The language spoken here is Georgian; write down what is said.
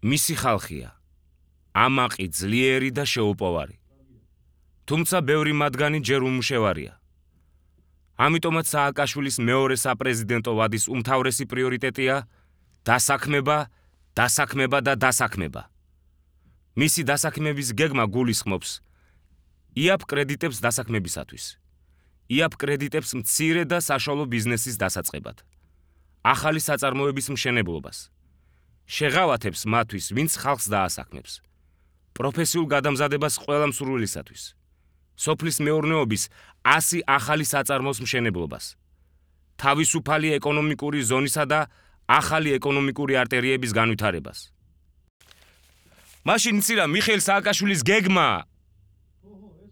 მისი ხალხია. ამაყი, ძლიერი და შეუპოვარი. თუმცა ბევრი მათგანი ჯერ უმუშევარია. ამიტომაც სააკაშვილის მეორე საპრეზიდენტო ვადის უმთავრესი პრიორიტეტია დასაქმება, დასაქმება და დასაქმება. მისი დასაქმების გეგმა გულისხმობს იაპ კრედიტებს დასაქმებისათვის. იაპ კრედიტებს მცირე და საშუალო ბიზნესის დასაწყებად. ახალი საწარმოების მშენებლობას. შეღავათებს მათთვის, ვინც ხალხს დაასაქმებს. პროფესიულ გადამზადებას ყველა მსურველისათვის. სოფლის მეურნეობის 100 ახალი საწარმოს მშენებლობას. თავისუფალი ეკონომიკური ზონისა და ახალი ეკონომიკური არტერიების განვითარებას. მაშინ მცირა მიხეილ სააკაშვილის გეგმა